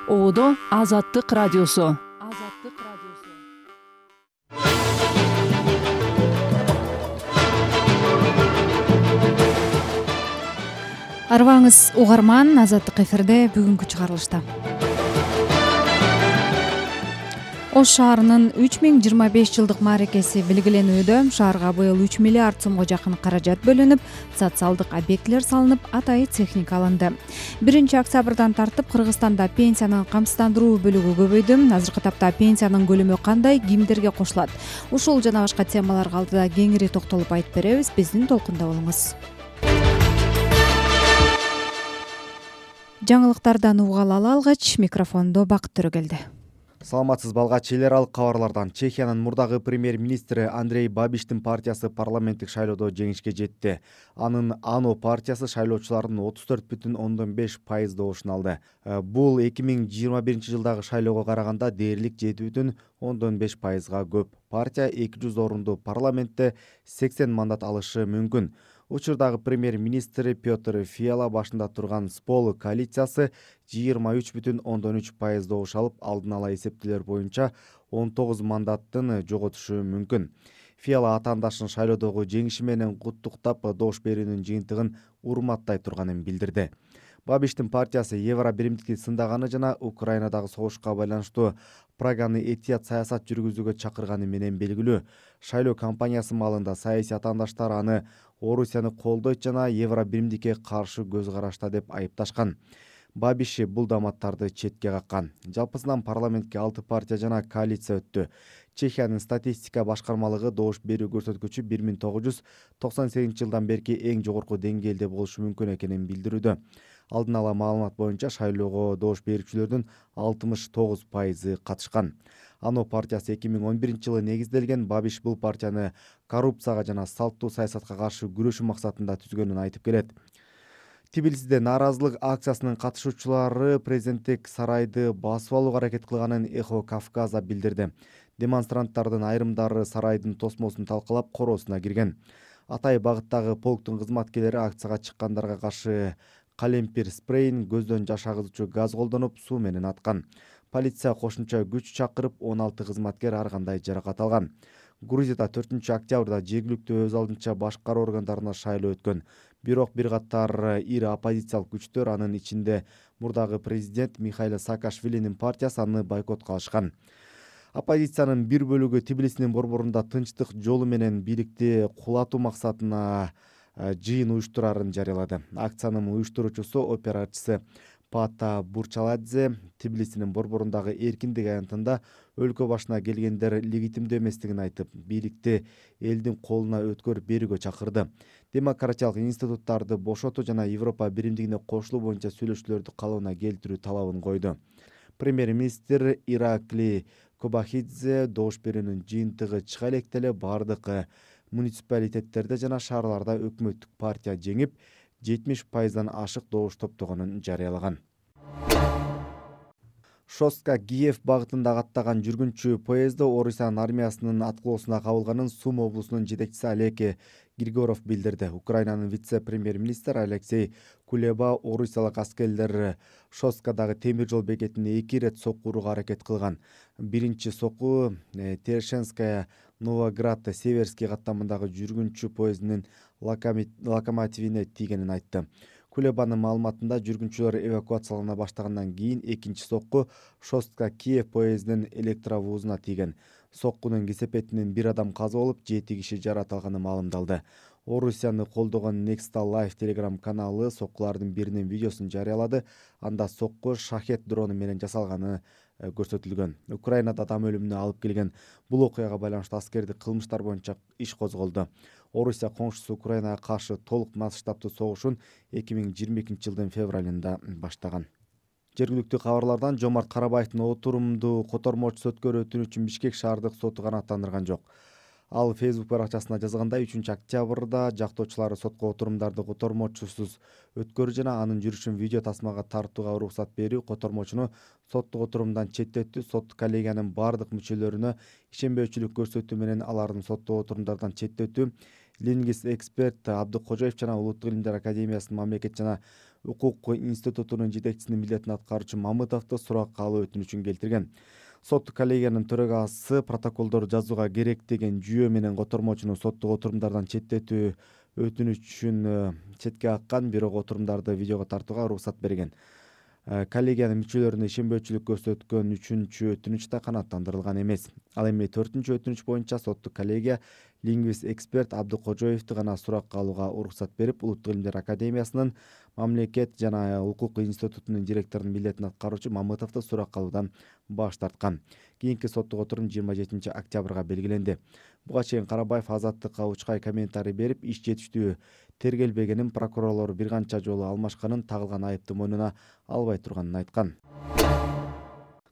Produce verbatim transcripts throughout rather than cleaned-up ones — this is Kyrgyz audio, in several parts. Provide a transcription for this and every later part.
Оодо Азаттык радиосу. Арыбаңыз угарман, Азаттык эфирде бүгүнкү чыгарылышта. Ош шаарынын үч миң жыйырма беш жылдык мааракеси белгиленүүдө. Шаарга быйыл үч миллиард сомго жакын каражат бөлүнүп, социалдык объектилер салынып, атайын техника алынды. биринчи октябрдан тартып Кыргызстанда пенсиянын камсыздандыруу бөлүгү көбөйдү. Азыркы тапта пенсиянын көлөмү кандай, кимдерге кошулат? Ушул жана башка темаларга алдыда кеңири токтолуп айтып беребиз. Биздин толкунда болуңуз. Жаңылыктардан угала алгач, микрофондо Бакыт Төрөгелди. Саламатсыз балгач, эл аралык кабарлардан. Чехиянын мурдагы премьер-министри Андрей Бабиштин партиясы парламенттик шайлоодо жеңишке жетти. Анын ано партиясы шайлоочулардын отуз төрт бүтүн ондон беш пайыз добушун алды. Бул эки миң жыйырма биринчи жылдагы шайлоого караганда дээрлик жети бүтүн ондон беш пайызга көп. Партия эки жүз орунду парламентте сексен мандат алышы мүмкүн. Учурдагы премьер-министр Петр Фиала башында турган Спол коалициясы жыйырма үч бүтүн ондон үч пайыз добуш алып, алдын ала эсептелер боюнча он тогуз мандаттын жоготушу мүмкүн. Фиала атаандашын шайлоодогу жеңиши менен куттуктап, добуш берүүнүн жыйынтыгын урматтай турганын билдирди. Бабиштин партиясы Евро биримдикти сындаганы жана Украинадагы согушка байланыштуу Праганы этият саясат жүргүзүүгө чакырганы менен белгилүү. Шайлоо кампаниясы маалында саясий атаандаштар аны Орусияны колдойт жана Евро биримдикке каршы көз карашта деп айыпташкан. Бабиш бул дааматтарды четке каккан. Жалпысынан парламентке алты партия жана коалиция өттү. Чехиянын статистика башкармалыгы добуш берүү көрсөткүчү бир миң тогуз жүз токсон сегизинчи жылдан берки эң жогорку деңгээлде болушу мүмкүн экенин билдирүүдө. Алдын ала маалымат боюнча шайлоого добуш берүүчүлөрдүн алтымыш тогуз пайызы катышкан. Ано партиясы эки миң он биринчи жылы негизделген. Бабиш бул партияны коррупцияга жана салттуу саясатка каршы күрөшүү максатында түзгөнүн айтып келет. Тбилисиде нааразылык акциясынын катышуучулары президенттик сарайды басып алууга аракет кылганын Эхо Кавказа билдирди. Демонстранттардын айрымдары сарайдын тосмосун талкалап, короосуна кирген. Атай багыттагы полктун кызматкерлери акцияга чыккандарга каршы калемпир спрейин, көздөн жаш агызуучу газ колдонуп, суу менен аткан. Полиция кошумча күч чакырып, он алты кызматкер ар кандай жаракат алган. Грузияда төртүнчү октябрда жергиликтүү өз алдынча башкаруу органдарына шайлоо өткөн. Бирок бир катар ири оппозициялык күчтөр, анын ичинде мурдагы президент Михаил Саакашвилинин партиясы аны бойкот кылышкан. Оппозициянын бир бөлүгү Тбилисинин борборунда тынчтык жолу менен бийликти кулатуу максатына жыйын уюштурарын жарыялады. Акциянын уюштуруучусу, операчысы Пата Бурчаладзе Тбилисинин борборундагы эркиндик аянтында өлкө башына келгендер легитимдүү эместигин айтып, бийликти элдин колуна өткөрүп берүүгө чакырды. Демократиялык институттарды бошотуу жана Европа биримдигине кошулуу боюнча сүйлөшүүлөрдү калыбына келтирүү талабын койду. Премьер-министр Иракли Кобахидзе добуш берүүнүн жыйынтыгы чыга электе эле бардык муниципалитеттерде жана шаарларда өкмөттүк партия жеңип, жетимиш пайыздан ашык добуш топтогонун жарыялаган. Шостка-Киев багытында каттаган жүргүнчү поездо Орусиянын армиясынын аткылоосуна кабылганын Сум облусунун жетекчиси Олег Григоров билдирди. Украинанын вице-премьер-министри Алексей Кулеба орусиялык аскерлер Шосткадагы темир жол бекетине эки ирет сокку урууга аракет кылган. Биринчи сокку Терешенская Новоград Северский каттамындагы жүргүнчү поездинин локомотивине тийгенин айтты. Кулебанын маалыматында жүргүнчүлөр эвакуациялана баштагандан кийин экинчи сокку Шостка-Киев поездинин электровузуна тийген. Соккунун кесепетинен бир адам каза болуп, жети киши жаракат алганы маалымдалды. Орусияны колдогон Nexta Live Telegram каналы соккулардын биринин видеосун жарыялады. Анда сокку шахет дрону менен жасалганы көрсөтүлгөн. Украинада адам өлүмүнө алып келген бул окуяга байланыштуу аскердик кылмыштар боюнча иш козголду. Орусия коңшусу Украинага каршы толук масштабтуу согушун эки миң жыйырма экинчи жылдын февралында баштаган. Жергиликтүү кабарлардан Жомарт Карабаевдин отурумду котормочусу өткөрүү өтүнүчүн Бишкек шаардык соту канааттандырган жок. Ал Facebook баракчасына жазгандай, үчүнчү октябрда жактоочулары сотко отурумдарды котормочусуз өткөрүү жана анын жүрүшүн видео тасмага тартууга уруксат берүү, котормочуну соттук отурумдан четтетүү, сот коллегиянын бардык мүчөлөрүнө ишенбөөчүлүк көрсөтүү менен алардын соттук отурумдардан четтетүү, лингвист эксперт Абдыкожоев жана Улуттук илимдер академиясынын мамлекет жана укук институтунун жетекчисинин милдетин аткаруучу Мамытовду суракка алуу өтүнүчүн келтирген. Сот коллегиянын төрагасы протоколдор жазууга керек деген жүйө менен котормочуну соттук отурумдардан четтетүү өтүнүчүн четке каккан, бирок отурумдарды видеого тартууга уруксат берген. Коллегиянын мүчөлөрүнө ишенбөөчүлүк көрсөткөн үчүнчү өтүнүч да канааттандырылган эмес. Ал эми төртүнчү өтүнүч боюнча соттук коллегия лингвист эксперт Абдыкожоевду гана суракка алууга уруксат берип, Улуттук илимдер академиясынын мамлекет жана укук институтунун директорунун милдетин аткаруучу Мамытовду суракка алуудан баш тарткан. Кийинки соттук отурум жыйырма жетинчи октябрга белгиленди. Буга чейин Карабаев Азаттыкка учкай комментарий берип, иш жетиштүү тергелбегенин, прокурорлор бир канча жолу алмашканын, тагылган айыпты мойнуна албай турганын айткан.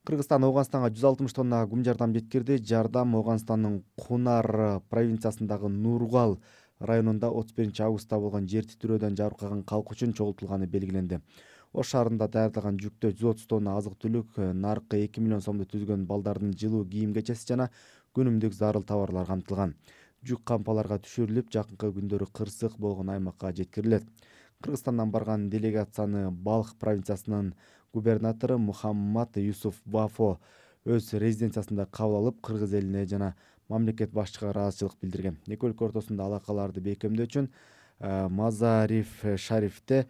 Кыргызстан Ооганстанга жүз алтымыш тонна гум жардам жеткирди. Жардам Ооганстандын Кунар провинциясындагы Нургал районунда отуз биринчи августта болгон жер титирөөдөн жабыркаган калк үчүн чогултулганы белгиленди. Ош шаарында даярдалган жүктө жүз отуз тонна азык-түлүк, наркы эки миллион сомду түзгөн балдардын жылуу кийим-кечеси жана күнүмдүк зарыл товарлар камтылган. Жүк кампаларга түшүрүлүп, жакынкы күндөрү кырсык болгон аймакка жеткирилет. Кыргызстандан барган делегацияны Балх провинциясынын губернатору Мухаммад Юсуф Бафо өз резиденциясында кабыл алып, кыргыз элине жана мамлекет башчыга ыраазычылык билдирген. Эки өлкө ортосунда алакаларды бекемдөө үчүн Мазариф Шарифте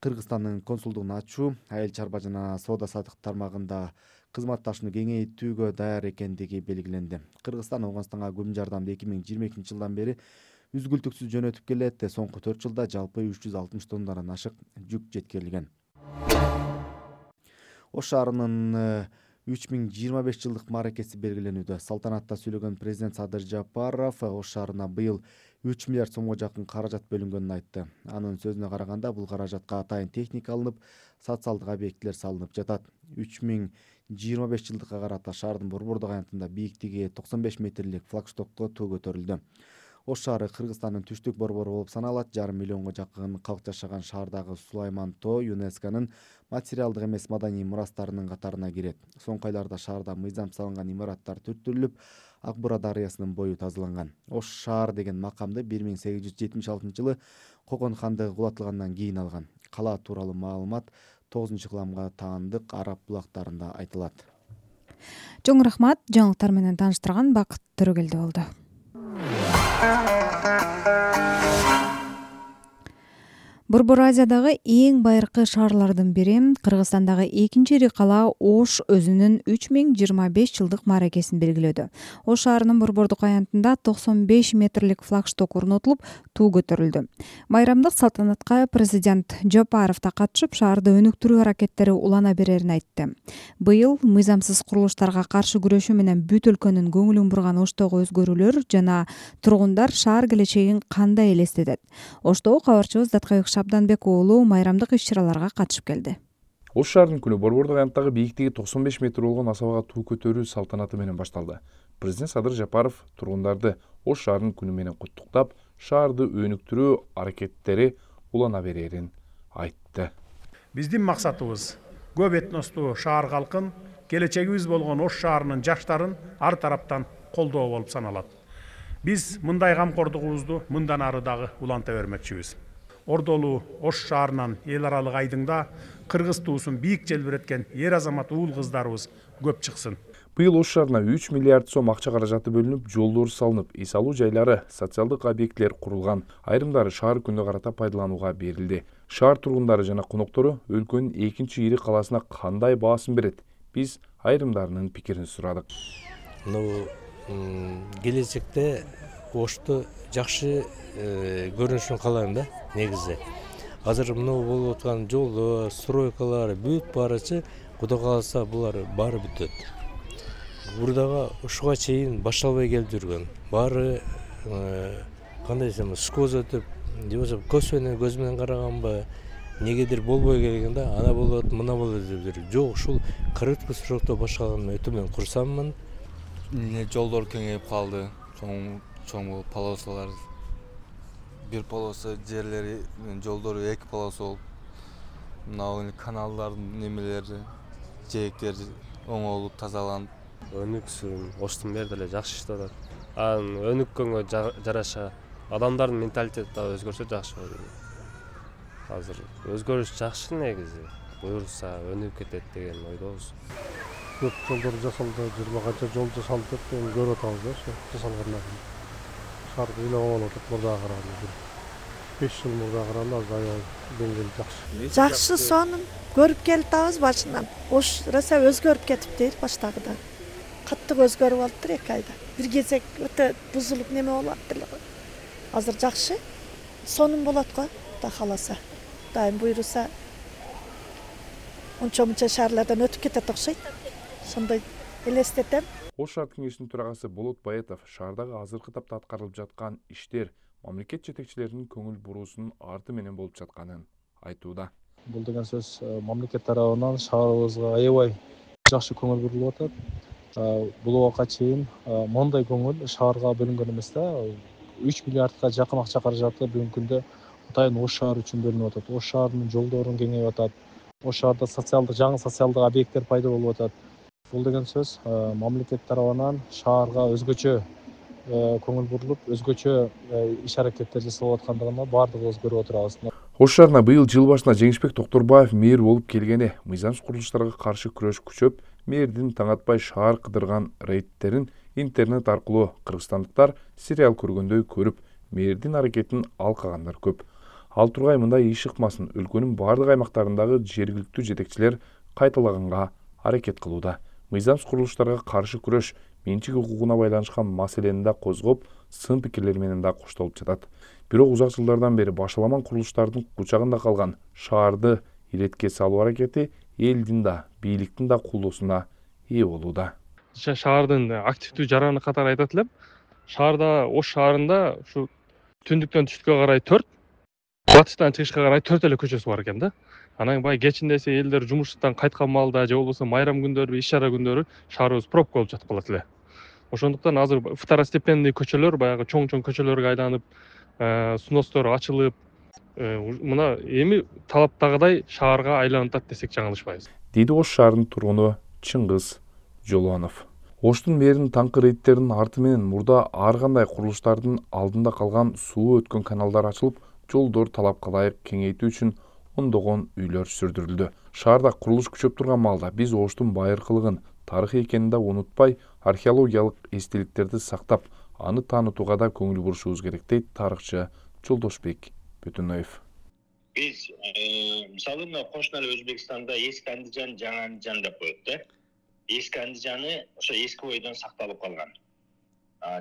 Кыргызстандын консулдугун ачуу, айыл чарба жана соода саттык тармагында кызматташууну кеңейтүүгө даяр экендиги белгиленди. Кыргызстан Ооганстанга гум жардамды эки миң жыйырма экинчи жылдан бери үзгүлтүксүз жөнөтүп келет. Соңку төрт жылда жалпы үч жүз алтымыш тоннадан ашык жүк жеткирилген. Ош шаарынын үч миң жыйырма беш жылдык мааракеси белгиленүүдө. Салтанатта сүйлөгөн президент Садыр Жапаров Ош шаарына быйыл үч миллиард сомго жакын каражат бөлүнгөнүн айтты. Анын сөзүнө караганда, бул каражатка атайын техника алынып, социалдык объектилер салынып жатат. үч миң жыйырма беш жылдыкка карата шаардын борбордук аянтында бийиктиги токсон беш метрлик флагштокко туу көтөрүлдү. Ош шаары Кыргызстандын түштүк борбору болуп саналат. Жарым миллионго жакын калк жашаган шаардагы Сулайман тоо ЮНЕСКОнун материалдык эмес маданий мурастарынын катарына кирет. Соңку айларда шаарда мыйзам салынган имараттар түрттүрүлүп, Ак Бура дарыясынын бою тазаланган. Ош шаар деген макамды бир миң сегиз жүз жетимиш алтынчы жылы Кокон хандыгы кулатылгандан кийин алган. Кала тууралуу маалымат тогузунчу кылымга таандык араб булактарында айтылат. Чоң рахмат, жаңылыктар менен тааныштырган Бакыт Төрөгелди болду. Борбор Азиядагы эң байыркы шаарлардын бири, Кыргызстандагы экинчи ири кала Ош өзүнүн үч миң жыйырма беш жылдык мааракесин белгилөөдө. Ош шаарынын борбордук аянтында токсон беш метрлик флагшток орнотулуп, туу көтөрүлдү. Майрамдык салтанатка президент Жапаров да катышып, шаарды өнүктүрүү аракеттери улана берерин айтты. Быйыл мыйзамсыз курулуштарга каршы күрөшүү менен бүт өлкөнүн көңүлүн бурган Оштогу өзгөрүүлөр жана тургундар шаар келечегин кандай элестетет? Оштогу кабарчыбыз Даткайык Шабданбек уулу майрамдык иш-чараларга катышып келди. Ош шаарынын күнү борбордук аянттагы бийиктиги токсон беш метр болгон асабага туу көтөрүү салтанаты менен башталды. Президент Садыр Жапаров тургундарды Ош шаарынын күнү менен куттуктап, шаарды өнүктүрүү аракеттери улана берерин айтты. Биздин максатыбыз көп этностуу шаар калкын, келечегибиз болгон Ош шаарынын жаштарын ар тараптан колдоо болуп саналат. Биз мындай камкордугубузду мындан ары дагы уланта бермекчибиз. Ордолуу Ош шаарынан эл аралык айдыңда кыргыз туусун бийик желбиреткен эр азамат уул кыздарыбыз көп чыксын. Быйыл Ош шаарына үч миллиард сом акча каражаты бөлүнүп, жолдор салынып, эс алуу жайлары, социалдык объектилер курулган. Айрымдары шаар күнүнө карата пайдаланууга берилди. Шаар тургундары жана коноктору өлкөнүн экинчи ири каласына кандай баасын берет? Биз айрымдарынын пикирин сурадык. Ну, келечекте Ошту жакшы көрүнүшүн каалайм да, негизи. Азыр мына болуп аткан жолдор, стройкалар бүт барычы, Кудай кааласа булар баары бүтөт. Бурдага ушуга чейин башталбай келип жүргөн. Баары кандай десем, скоз өтүп, же болбосо көз менен көз менен караганбы, негедир болбой келген да, ана болот, мына болот деп жүр. Жок, ушул кыргызча срокто башталган өтө мен курсаммын. Жолдор кеңейип калды. Чоң чоң полосалар, бир полоса жерлери, жолдору эки полоса болуп, мына каналдардын немелери, жээктери оңолуп тазаланып, өнүксүн, Оштун бери деле жакшы иштеп атат. Анын өнүккөнгө жараша адамдардын менталитети да өзгөрсө жакшы болот. азыр өзгөрүш жакшы негизи, буюрса өнүгүп кетет деген ойдобуз. Көп жолдор жасалды, жыйырма канча жол жасалды деп эми көрүп атабыз да, ошо жасалгандан. Шаарды ыйлап алып атат мурдага караганда. беш жыл мурдага караганда азыр аябай деңгээли жакшы. Жакшы сонун көрүп келатабыз башынан. Ош роса өзгөрүп кетиптир баштагыдан. Каттык өзгөрүп алыптыр эки айда. Бир кезек өтө бузулуп неме болуп аттыр. Азыр жакшы. Сонун болот го, Кудай кааласа. Дайым буйруса ончо-мунча шаарлардан өтүп кетет окшойт. Сондай элестетем. Ош шаар кеңешинин төрагасы Болот Баятов шаардагы азыркы тапта аткарылып жаткан иштер мамлекет жетекчилеринин көңүл буруусунун арты менен болуп жатканын айтууда. Бул деген сөз мамлекет тарабынан шаарыбызга аябай жакшы көңүл бурулуп атат. Бул убакка чейин мондай көңүл шаарга бөлүнгөн эмес да. үч миллиардка жакын акча каражаты бүгүнкү күндө атайын Ош шаары үчүн бөлүнүп атат. Ош шаарынын жолдорун кеңейип атат. Ош шаарда социалдык жаңы социалдык объекттер пайда болуп атат. Бул деген сөз мамлекет тарабынан шаарга өзгөчө көңүл бурулуп, өзгөчө иш аракеттер жасалып аткандыгына баардыгыбыз көрүп отурабыз. Ош шаарына быйыл жыл башында Жеңишбек Токторбаев мэр болуп келгени мыйзамсыз курулуштарга каршы күрөш күчөп, мэрдин таң атпай шаар кыдырган рейдтерин интернет аркылуу кыргызстандыктар сериал көргөндөй көрүп, мэрдин аракетин алкагандар көп. Ал тургай мындай иш ыкмасын өлкөнүн бардык аймактарындагы жергиликтүү жетекчилер кайталаганга аракет кылууда. Мыйзамсыз курулуштарга каршы күрөш менчик укугуна байланышкан маселени да козгоп, сын пикирлер менен да коштолуп жатат. Бирок узак жылдардан бери башаламан курулуштардын кучагында калган шаарды иретке салуу аракети элдин да, бийликтин да колдоосуна ээ болууда. Шаардын активдүү жараны катары айтат элем. Шаарда, Ош шаарында ушу түндүктөн түштүккө карай төрт, батыштан чыгышка карай төрт эле көчөсү бар экен да. Анан баягы кечинде эсе элдер жумуштан кайткан маалда же болбосо майрам күндөрү, иш чара күндөрү шаарыбыз пробка болуп жатып калат эле. Ошондуктан азыр второстепенный көчөлөр, баягы чоң-чоң көчөлөргө айланып, сностор ачылып, мына эми талаптагыдай шаарга айланып атат десек жаңылышпайбыз. Дейди Ош шаарынын тургуну Чыңгыз Жолонов. Оштун мэринин таңкы рейдтеринин арты менен мурда ар кандай курулуштардын алдында калган суу өткөн каналдар ачылып, жолдор талапка ылайык кеңейтүү үчүн ондогон үйлөр сүрдүрүлдү. Шаарда курулуш күчөп турган маалда биз Оштун байыркылыгын, тарыхый экенин да унутпай, археологиялык эстеликтерди сактап, аны таанытууга да көңүл бурушубуз керек, дейт тарыхчы Жолдошбек Бөтөнөев. Биз мисалы мына кошуна эле Өзбекстанда эски Андижан, жаңы Андижан деп коет да. Эски Андижаны ошо эски бойдон сакталып калган.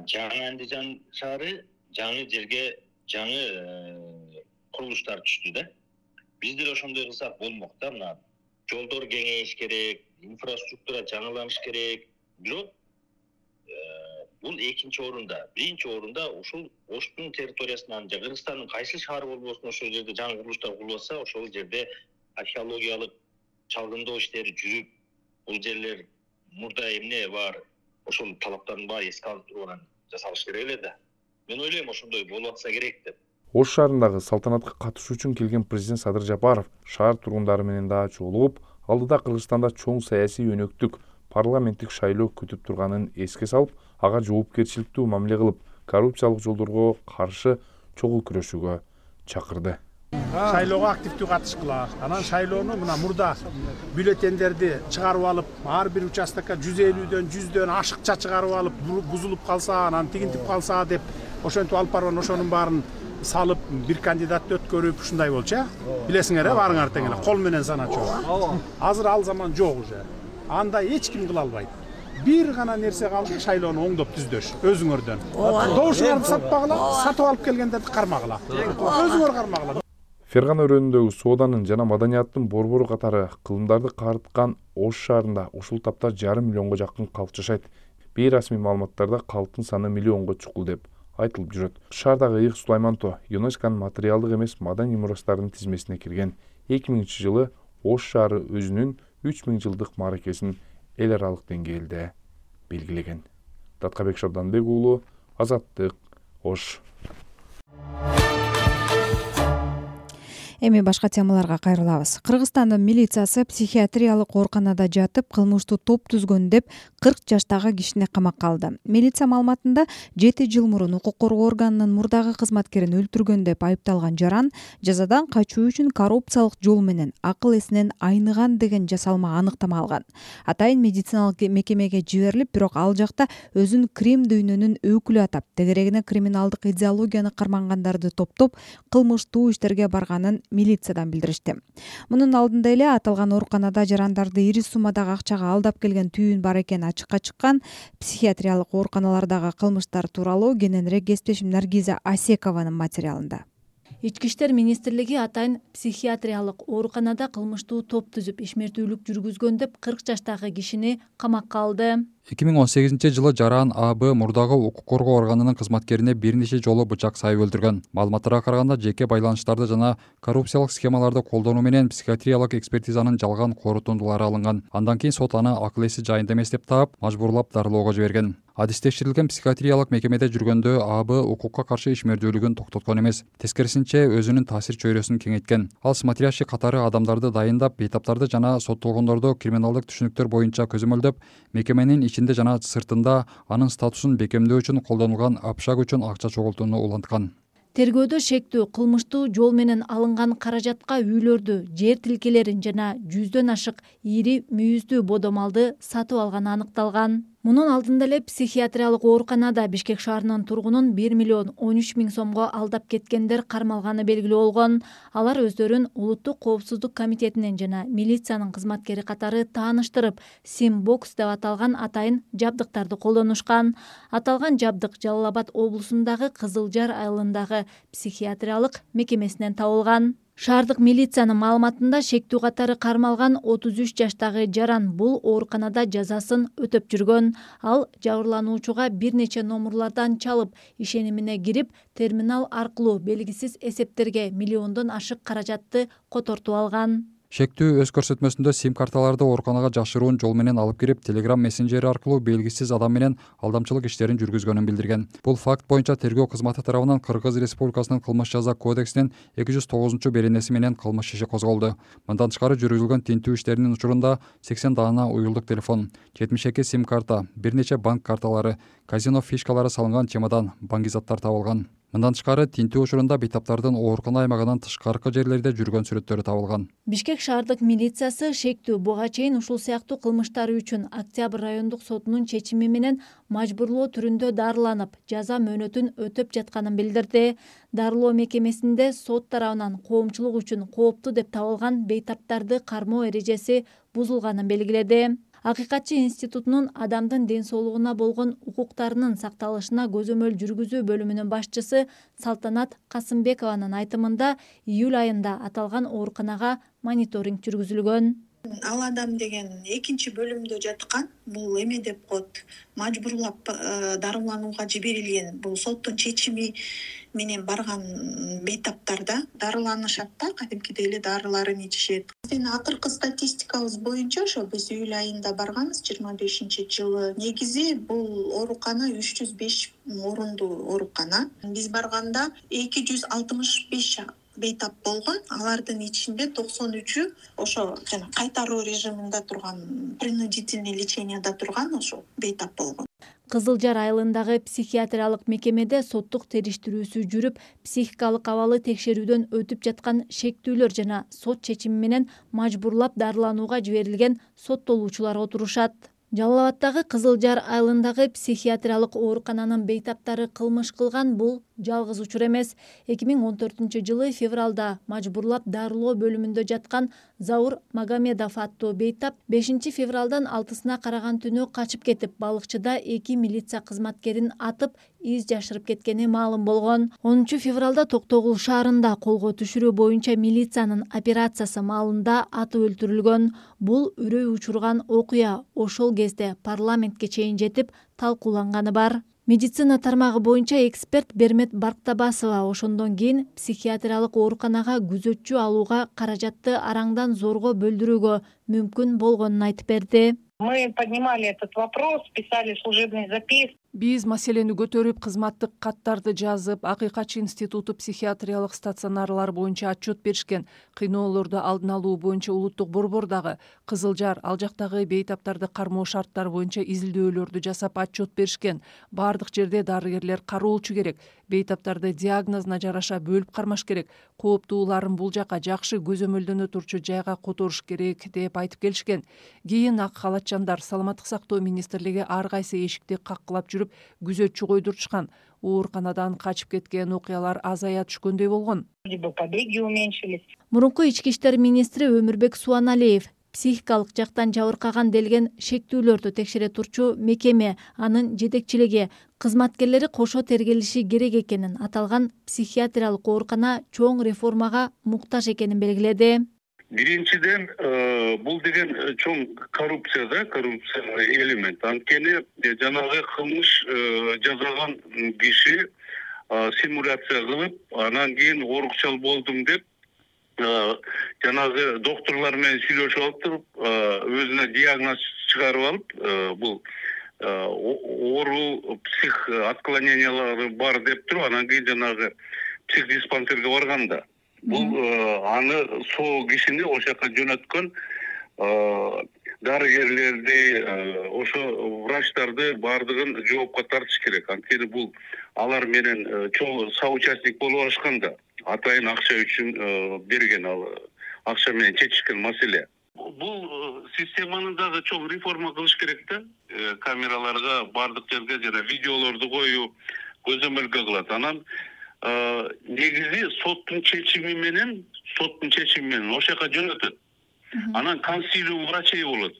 Жаңы Андижан шаары жаңы жерге жаңы курулуштар түштү да. Биз деле ошондой кылсак болмок да. Мына жолдор кеңейиш керек, инфраструктура жаңыланыш керек. Бирок бул экинчи орунда. Биринчи орунда ушул Оштун территориясынан же Кыргызстандын кайсы шаары болбосун ошол жерде жаңы курулуштар курулса, ошол жерде археологиялык чалгындоо иштери жүрүп, бул жерлер мурда эмне бар, ошол талаптарын баары эске алып турган жасалыш керек эле да. Мен ойлойм ошондой болуп атса керек деп. Ош шаарындагы салтанатка катышуу үчүн келген президент Садыр Жапаров шаар тургундары менен да жолугуп, алдыда Кыргызстанда чоң саясий өнөктүк парламенттик шайлоо күтүп турганын эске салып, ага жоопкерчиликтүү мамиле кылып, коррупциялык жолдорго каршы чогуу күрөшүүгө чакырды. Шайлоого активдүү катышкыла. Анан шайлоону мына мурда бюллетендерди чыгарып алып, ар бир участокко жүз элүүдөн жүздөн ашыкча чыгарып алып, бузулуп калса, анан тигинтип калса деп ошентип алып барган ошонун баарын салып, бир кандидатты өткөрүп ушундай болчу, э? Билесиңер, э, баарыңар тең эле кол менен саначу. Азыр ал заман жок уже. Андай эч ким кыла албайт. Бир гана нерсе калды, шайлоону оңдоп түздөш, өзүңөрдөн. Добушуңарды сатпагыла, сатып алып келгендерди кармагыла. Өзүңөр кармагыла. Фергана өрөөнүндөгү сооданын жана маданияттын борбору катары кылымдарды карыткан Ош шаарында ушул тапта жарым миллионго жакын калк жашайт. Бейрасмий маалыматтарда калктын саны миллионго чукул деп айтылып жүрөт. Шаардагы Ыйык Сулайманто ЮНЕСКОнун материалдык эмес маданий мурастарынын тизмесине кирген. эки миңинчи жылы Ош шаары өзүнүн үч миң жылдык мааракесин эл аралык деңгээлде белгилеген. Таткабек Шабданбек уулу, Азаттык, Ош. Эми башка темаларга кайрылабыз. Кыргызстандын милициясы психиатриялык ооруканада жатып кылмыштуу топ түзгөн деп кырк жаштагы кишини камакка алды. Милиция маалыматында жети жыл мурун укук коргоо органынын мурдагы кызматкерин өлтүргөн деп айыпталган жаран жазадан качуу үчүн коррупциялык жол менен акыл эсинен айныган деген жасалма аныктама алган. Атайын медициналык мекемеге жиберилип, бирок ал жакта өзүн Крим дүйнөнүн өкүлү атап, тегерегине криминалдык идеологияны кармангандарды топтоп, кылмыштуу иштерге барганын милициядан билдиришти. Мунун алдында эле аталган ооруканада жарандарды ири суммадагы акчага алдап келген түйүн бар экени ачыкка чыккан. Психиатриялык ооруканалардагы кылмыштар тууралуу кененирээк кесиптешим Наргиза Асекованын материалында. Ички иштер министрлиги атайын психиатриялык ооруканада кылмыштуу топ түзүп ишмердүүлүк жүргүзгөн деп кырк жаштагы кишини камакка алды. эки миң он сегизинчи жылы жаран А Б мурдагы укук коргоо органынын кызматкерине бир нече жолу бычак сайып өлтүргөн. Маалыматтарга караганда жеке байланыштарды жана коррупциялык схемаларды колдонуу менен психиатриялык экспертизанын жалган корутундулары алынган. Андан кийин сот аны акыл эси жайында эмес деп таап, мажбурлап дарылоого жиберген. Адис текшерилген психиатриялык мекемеде жүргөндө А Б укукка каршы ишмердүүлүгүн токтоткон эмес. Тескерисинче өзүнүн таасир чөйрөсүн кеңейткен. Ал смотрящий катары адамдарды дайындап, бейтаптарды жана соттолгондорду криминалдык түшүнүктөр боюнча көзөмөлдөп, мекеменин ичинде жана сыртында анын статусун бекемдөө үчүн колдонулган общак үчүн акча чогултууну уланткан. Тергөөдө шектүү кылмыштуу жол менен алынган каражатка үйлөрдү, жер тилкелерин жана жүздөн ашык ири мүйүздүү бодомалды сатып алганы аныкталган. Мунун алдында эле психиатриялык ооруканада Бишкек шаарынын тургунун бир миллион он үч миң сомго алдап кеткендер кармалганы белгилүү болгон. Алар өздөрүн Улуттук коопсуздук комитетинин жана милициянын кызматкери катары тааныштырып, Симбокс деп аталган атайын жабдыктарды колдонушкан. Аталган жабдык Жалал Абад облусундагы Кызылжар айылындагы психиатриялык мекемесинен табылган. Шаардык милициянын маалыматында шектүү катары кармалган отуз үч жаштагы жаран бул ооруканада жазасын өтөп жүргөн. Ал жабырлануучуга бир нече номурлардан чалып, ишенимине кирип, терминал аркылуу белгисиз эсептерге миллиондон ашык каражатты котортуп алган. Шектүү өз көрсөтмөсүндө сим-карталарды ооруканага жашыруун жол менен алып кирип, Telegram мессенджери аркылуу белгисиз адам менен алдамчылык иштерин жүргүзгөнүн билдирген. Бул факт боюнча тергөө кызматы тарабынан Кыргыз Республикасынын кылмыш жаза кодексинин эки жүз тогузунчу беренеси менен кылмыш иши козголду. Мындан тышкары жүргүзүлгөн тинтүү иштеринин учурунда сексен даана уюлдук телефон, жетимиш эки сим-карта, бир нече банк карталары, казино фишкалары салынган чемодан, баңгизаттар табылган. Мындан тышкары тинтүү учурунда бейтаптардын оорукана аймагынан тышкаркы жерлерде жүргөн сүрөттөрү табылган. Бишкек шаардык милициясы шектүү буга чейин ушул сыяктуу кылмыштары үчүн Октябрь райондук сотунун чечими менен мажбурлоо түрүндө дарыланып, жаза мөөнөтүн өтөп жатканын билдирди. Дарылоо мекемесинде сот тарабынан коомчулук үчүн кооптуу деп табылган бейтаптарды кармоо эрежеси бузулганын белгиледи. Акыйкатчы институтунун адамдын ден соолугуна болгон укуктарынын сакталышына көзөмөл жүргүзүү бөлүмүнүн башчысы Салтанат Касымбекованын айтымында июль айында аталган ооруканага мониторинг жүргүзүлгөн. Ал адам деген экинчи бөлүмдө жаткан, бул эме деп коет, мажбурлап дарыланууга жиберилген. Бул соттун чечими менен барган бейтаптарда дарыланышат да, кадимкидей эле дарыларын ичишет. Биздин акыркы статистикабыз боюнча ошо биз июль айында барганбыз, жыйырма бешинчи жылы. Негизи бул оорукана үч жүз беш орундуу оорукана. Биз барганда эки жүз алтымыш беш бейтап болгон. Алардын ичинде токсон үчү ошо жана кайтаруу режиминде турган, принудительный леченияда турган ошо бейтап болгон. Кызылжар айылындагы психиатриялык мекемеде соттук териштирүүсү жүрүп, психикалык абалы текшерүүдөн өтүп жаткан шектүүлөр жана сот чечими менен мажбурлап дарыланууга жиберилген соттолуучулар отурушат. Жалал Абаддагы Кызылжар айылындагы психиатриялык оорукананын бейтаптары кылмыш кылган бул жалгыз учур эмес. эки миң он төртүнчү жылы февралда мажбурлап дарылоо бөлүмүндө жаткан Заур Магомедов аттуу бейтап бешинчи февралдан алтысына караган түнү качып кетип, балыкчыда эки милиция кызматкерин атып, из жашырып кеткени маалым болгон. онунчу февралда Токтогул шаарында колго түшүрүү боюнча милициянын операциясы маалында атып өлтүрүлгөн. Бул үрөй учурган окуя ошол кезде парламентке чейин жетип талкууланганы бар. Медицина тармагы боюнча эксперт Бермет Барктабасова ошондон кийин психиатриялык ооруканага күзөтчү алууга каражатты араңдан зорго бөлдүрүүгө мүмкүн болгонун айтып берди. Мы поднимали этот вопрос, писали служебный запис. Биз маселени көтөрүп, кызматтык каттарды жазып, Акыйкатчы институту психиатриялык стационарлар боюнча отчет беришкен. Кыйноолорду алдын алуу боюнча улуттук борбор дагы Кызыл Жар ал жактагы бейтаптарды кармоо шарттары боюнча изилдөөлөрдү жасап отчет беришкен. Бардык жерде дарыгерлер кароолчу керек. Бейтаптарды диагнозуна жараша бөлүп кармаш керек. Кооптууларын бул жака жакшы көзөмөлдөнө турчу жайга которуш керек деп айтып келишкен. Кийин ак халатчандар Саламаттык сактоо министрлиги ар кайсы эшикти каккылап жүрүп күзөтчү койдуртушкан. Ооруканадан качып кеткен окуялар азая түшкөндөй болгон. Побеги уменьшились. Мурунку ички иштер министри Өмүрбек Суаналиев психикалык жактан жабыркаган делген шектүүлөрдү текшере турчу мекеме, анын жетекчилиги, кызматкерлери кошо тергелиши керек экенин, аталган психиатриялык оорукана чоң реформага муктаж экенин белгиледи. Биринчиден, бул деген чоң коррупция да, коррупциялык элемент. Анткени жанагы кылмыш жасаган киши симуляция кылып, анан кийин оорукчал болдум деп жанагы доктурлар менен сүйлөшүп алып туруп, өзүнө диагноз чыгарып алып, бул оору псих отклонениялары бар деп туруп, анан кийин жанагы психдиспансерге барганда бул аны соо кишини ошол жака жөнөткөн дарыгерлерди, ошо врачтарды баардыгын жоопко тартыш керек. Анткени бул алар менен чоң соучастник болуп алышканда, атайын акча үчүн берген, ал акча менен чечишкен маселе. Бул системаны дагы чоң реформа кылыш керек да. Камераларга баардык жерге жана видеолорду коюу көзөмөлгө кылат. Анан негизи соттун чечими менен, соттун чечими менен ошол жака жөнөтөт. Анан консилиум врачей болот.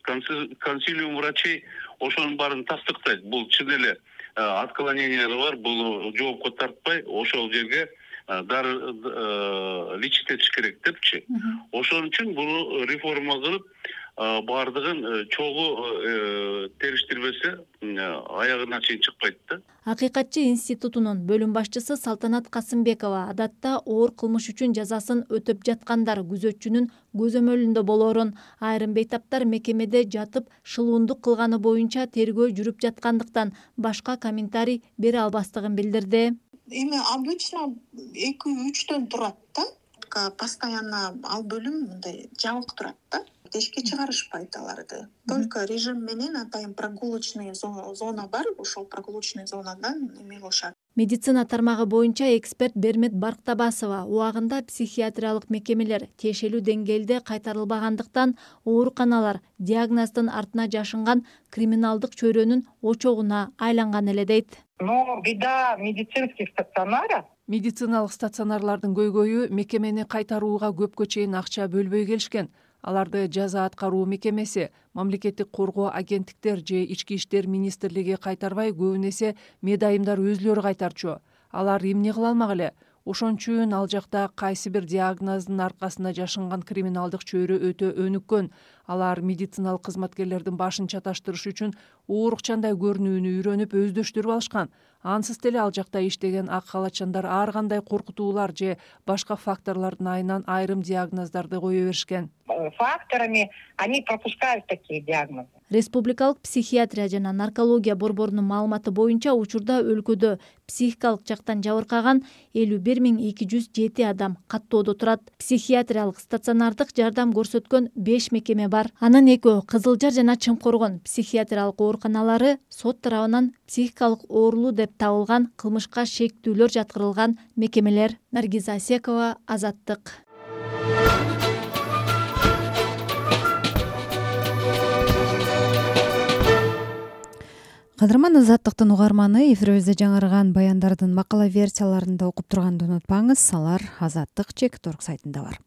Консилиум врачей ошонун баарын тастыктайт. Бул чын эле отклонениялар бар, бул жоопко тартпай, ошол жерге дары лечить этиш керек депчи. Ошон үчүн буну реформа кылып, баардыгын чогуу териштирбесе, аягына чейин чыкпайт да. Акыйкатчы институтунун бөлүм башчысы Салтанат Касымбекова адатта оор кылмыш үчүн жазасын өтөп жаткандар күзөтчүнүн көзөмөлүндө болоорун, айрым бейтаптар мекемеде жатып шылуундук кылганы боюнча тергөө жүрүп жаткандыктан башка комментарий бере албастыгын билдирди. Эми обычно эки үчтөн турат да. Постоянно ал бөлүм мындай жабык турат да. Эшикке чыгарышпайт аларды. Только режим менен атайын прогулочный зона бар, ошол прогулочный зонадан эме кылышат. Медицина тармагы боюнча эксперт Бермет Барктабасова убагында психиатриялык мекемелер тиешелүү деңгээлде кайтарылбагандыктан ооруканалар диагноздун артына жашынган криминалдык чөйрөнүн очогуна айланган эле дейт. Но беда медицинских стационаров. Медициналык стационарлардын көйгөйү мекемени кайтарууга көпкө чейин акча бөлбөй келишкен. Аларды жаза аткаруу мекемеси, мамлекеттик коргоо агенттиктер же ички иштер министрлиги кайтарбай, көбүн эсе медайымдар өзүлөрү кайтарчу. Алар эмне кыла алмак эле? Ошон үчүн ал жакта кайсы бир диагноздун аркасында жашынган криминалдык чөйрө өтө өнүккөн. Алар медициналык кызматкерлердин башын чаташтырыш үчүн оорукчандай көрүнүүнү үйрөнүп өздөштүрүп алышкан. Ансыз деле ал жакта иштеген ак халатчандар ар кандай коркутуулар же башка факторлордун айынан айрым диагноздорду кое беришкен. Факторами они пропускают такие диагнозы. Республикалык психиатрия жана наркология борборунун маалыматы боюнча учурда өлкөдө психикалык жактан жабыркаган элүү бир миң эки жүз жети адам каттоодо турат. Психиатриялык стационардык жардам көрсөткөн беш мекеме бар. Анын экөө Кызыл Жар жана Чымкоргон психиатриялык ооруканалары сот тарабынан психикалык оорулуу деп табылган кылмышка шектүүлөр жаткырылган мекемелер. Наргиза Асекова, Азаттык. Кадырман Азаттыктын угарманы, эфирибизде жаңырган баяндардын макала версияларында окуп турганды унутпаңыз, алар Азаттык чек точка орг сайтында бар.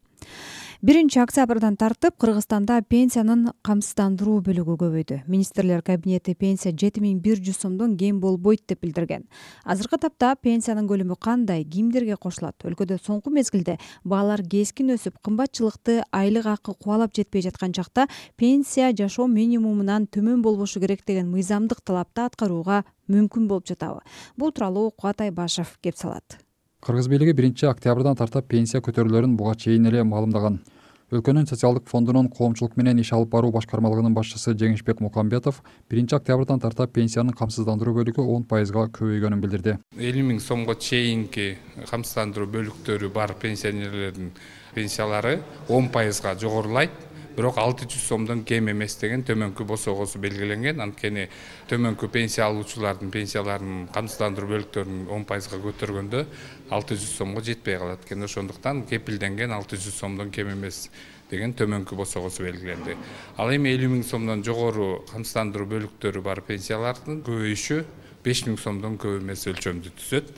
биринчи октябрдан тартып Кыргызстанда пенсиянын камсыздандыруу бөлүгү көбөйдү. Министрлер кабинети пенсия жети миң бир жүз сомдон кем болбойт деп билдирген. Азыркы тапта пенсиянын көлөмү кандай, кимдерге кошулат? Өлкөдө соңку мезгилде баалар кескин өсүп, кымбатчылыкты айлык акы кубалап жетпей жаткан чакта пенсия жашоо минимумунан төмөн болбошу керек деген мыйзамдык талапты аткарууга мүмкүн болуп жатабы? Бул тууралуу Кубат Айбашев кеп салат. Кыргыз бийлиги биринчи октябрдан тартып пенсия көтөрүүлөрүн буга чейин эле маалымдаган. Өлкөнүн социалдык фондунун коомчулук менен иш алып баруу башкармалыгынын башчысы Жеңишбек Мукамбетов биринчи октябрдан тарта пенсиянын камсыздандыруу бөлүгү он пайызга көбөйгөнүн билдирди. элүү миң сомго чейинки камсыздандыруу бөлүктөрү бар пенсионерлердин пенсиялары он пайызга жогорулайт. Бирок алты жүз сомдон кем эмес деген төмөнкү босогосу белгиленген. Анткени төмөнкү пенсия алуучулардын пенсияларынын камсыздандыруу бөлүктөрүн он пайызга көтөргөндө алты жүз сомго жетпей калат экен. Ошондуктан кепилденген алты жүз сомдон кем эмес деген төмөнкү босогосу белгиленди. Ал эми элүү миң сомдон жогору камсыздандыруу бөлүктөрү бар пенсиялардын көбөйүшү беш миң сомдон көп эмес өлчөмдү түзөт.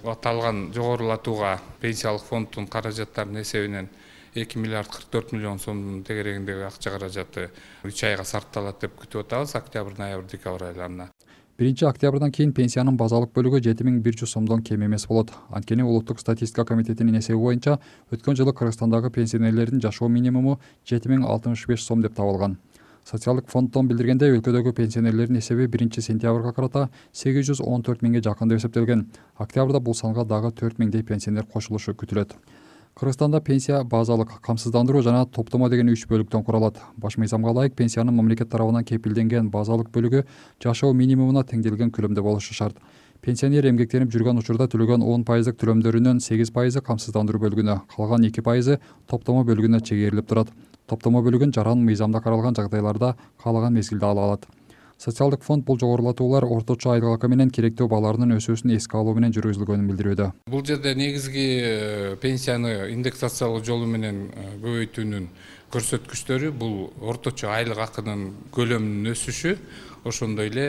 Аталган жогорулатууга пенсиялык фонддун каражаттарынын эсебинен эки миллиард кырк төрт миллион сомдун тегерегиндеги акча каражаты үч айга сарпталат деп күтүп атабыз, октябрь, ноябрь, декабрь айларына. биринчи октябрдан кийин пенсиянын базалык бөлүгү жети миң бир жүз сомдон кем эмес болот. Анткени улуттук статистика комитетинин эсеби боюнча өткөн жылы Кыргызстандагы пенсионерлердин жашоо минимуму жети миң алтымыш беш сом деп табылган. Социалдык фонддон билдиргендей, өлкөдөгү пенсионерлердин эсеби биринчи сентябрга карата сегиз жүз он төрт миңге жакын деп эсептелген. Октябрда бул санга дагы төрт миңдей пенсионер кошулушу күтүлөт. Кыргызстанда пенсия базалык, камсыздандыруу жана топтомо деген үч бөлүктөн куралат. Баш мыйзамга ылайык пенсиянын мамлекет тарабынан кепилденген базалык бөлүгү жашоо минимумуна теңделген көлөмдө болушу шарт. Пенсионер эмгектенип жүргөн учурда төлөгөн он пайыздык төлөмдөрүнүн сегиз пайызы камсыздандыруу бөлүгүнө, калган эки пайызы топтомо бөлүгүнө чегерилип турат. Топтомо бөлүгүн жаран мыйзамда каралган жагдайларда каалаган мезгилде ала алат. Социалдык фонд бул жогорулатуулар орточо айлык акы менен керектөө бааларынын өсүүсүн эске алуу менен жүргүзүлгөнүн билдирүүдө. Бул жерде негизги пенсияны индексациялоо жолу менен көбөйтүүнүн көрсөткүчтөрү бул орточо айлык акынын көлөмүнүн өсүшү, ошондой эле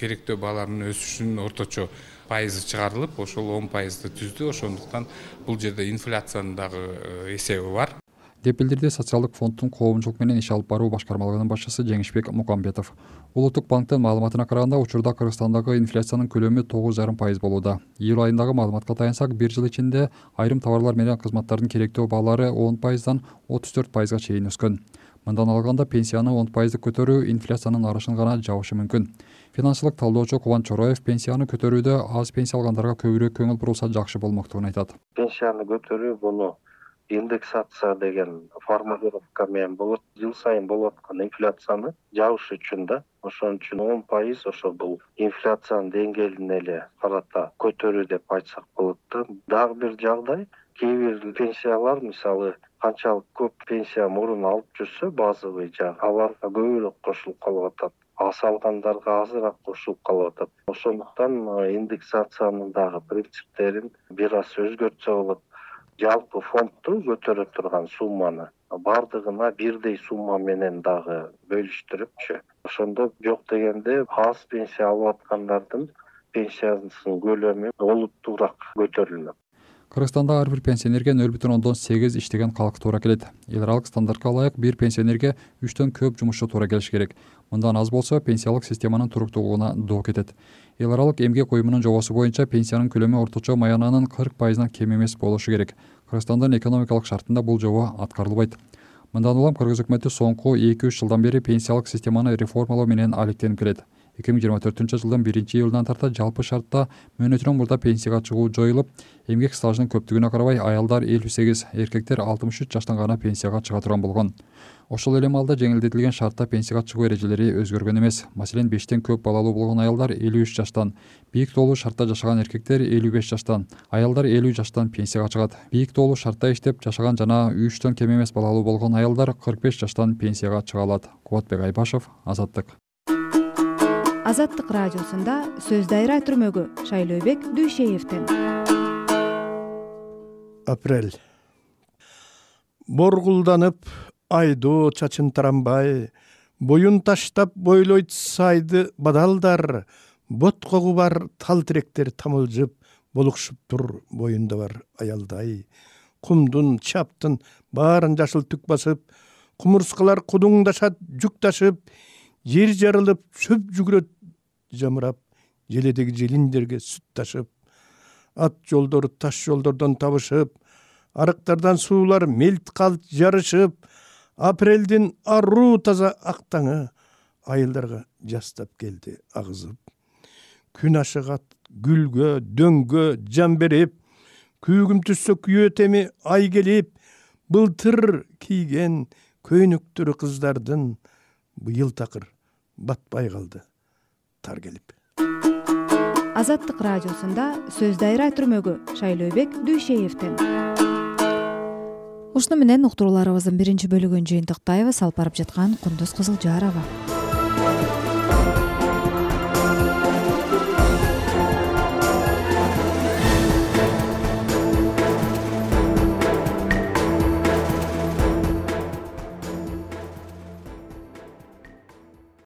керектөө бааларынын өсүшүнүн орточо пайызы чыгарылып, ошол он пайызды түздү. Ошондуктан бул жерде инфляциянын дагы эсеби бар деп билдирди социалдык фонддун коомчулук менен иш алып баруу башкармалыгынын башчысы Жеңишбек Мукамбетов. Улуттук банктын маалыматына караганда, учурда Кыргызстандагы инфляциянын көлөмү тогуз жарым пайыз болууда. Июль айындагы маалыматка таянсак, бир жыл ичинде айрым товарлар менен кызматтардын керектөө баалары он пайыздан отуз төрт пайызга чейин өскөн. Мындан алганда пенсияны он пайыздык көтөрүү инфляциянын арышын гана жабышы мүмкүн. Финансылык талдоочу Кубан Чороев пенсияны көтөрүүдө аз пенсия алгандарга көбүрөөк көңүл бурулса жакшы болмоктугун айтат. Пенсияны көтөрүү буну индексация деген формулировка менен болот. Жыл сайын болуп аткан инфляцияны жабыш үчүн да. Ошон үчүн он пайыз ошо бул инфляциянын деңгээлине эле карата көтөрүү деп айтсак болот да. Дагы бир жагдай, кээ бир пенсиялар мисалы канчалык көп пенсия мурун алып жүрсө базовый жагы, аларга көбүрөөк кошулуп калып атат. Аз алгандарга азыраак кошулуп калып атат. Ошондуктан индексациянын дагы принциптерин бир аз өзгөртсө болот. Жалпы фондду көтөрө турган сумманы бардыгына бирдей сумма менен дагы бөлүштүрүпчү. Ошондо жок дегенде аз пенсия алып аткандардын пенсиясынын көлөмү олуттуураак көтөрүлмөк. Кыргызстанда ар бир пенсионерге нөл бүтүн ондон сегиз иштеген калк туура келет. Эл аралык стандартка ылайык бир пенсионерге үчтөн көп жумушчу туура келиш керек. Мындан аз болсо пенсиялык системанын туруктуулугуна доо кетет. Эл аралык эмгек уюмунун жобосу боюнча пенсиянын көлөмү орточо маянанын кырк пайызынан кем эмес болушу керек. Кыргызстандын экономикалык шартында бул жобо аткарылбайт. Мындан улам Кыргыз өкмөтү соңку эки үч жылдан бери пенсиялык системаны реформалоо менен алектенип келет. эки миң жыйырма төртүнчү жылдын биринчи июлунан тарта жалпы шартта мөөнөтүнөн мурда пенсияга чыгуу жоюлуп, эмгек стажынын көптүгүнө карабай аялдар элүү сегиз, эркектер алтымыш үч жаштан гана пенсияга чыга турган болгон. Ошол эле маалда жеңилдетилген шартта пенсияга чыгуу эрежелери өзгөргөн эмес. Маселен, бештен көп балалуу болгон аялдар элүү үч жаштан, бийик тоолуу шартта жашаган эркектер элүү беш жаштан, аялдар элүү жаштан пенсияга чыгат. Бийик тоолуу шартта иштеп жашаган жана үчтөн кем эмес балалуу болгон аялдар кырк беш жаштан пенсияга чыга алат. Кубатбек Айбашев, Азаттык. Азаттык радиосунда сөз дайра түрмөгү Шайлообек Дүйшеевден. Апрель. Боргулданып, айдоо чачын таранбай, боюн таштап бойлойт сайды бадалдар, бот когу бар тал тиректер тамылжып, болукшуп тур боюнда бар аялдай. Кумдун, чаптын баарын жашыл түк басып, кумурскалар кудуңдашат жүк ташып, жер жарылып, чөп жүгүрөт жамырап, желедеги желиндерге сүт ташып, ат жолдор таш жолдордон табышып, арыктардан суулар мелт калт жарышып, апрелдин аруу таза актаңы айылдарга жастап келди агызып. Күн ашыгат гүлгө, дөңгө жан берип, күүгүм түссө күйөө теми ай келип, былтыр кийген көйнөктөрү кыздардын быйыл такыр батпай калды тар келип. Азаттык радиосунда сөз дайра түрмөгү Шайлообек Дүйшеевден. Ушуну менен уктурууларыбыздын биринчи бөлүгүн жыйынтыктайбыз. Алып барып жаткан Кундуз Кызылжарова.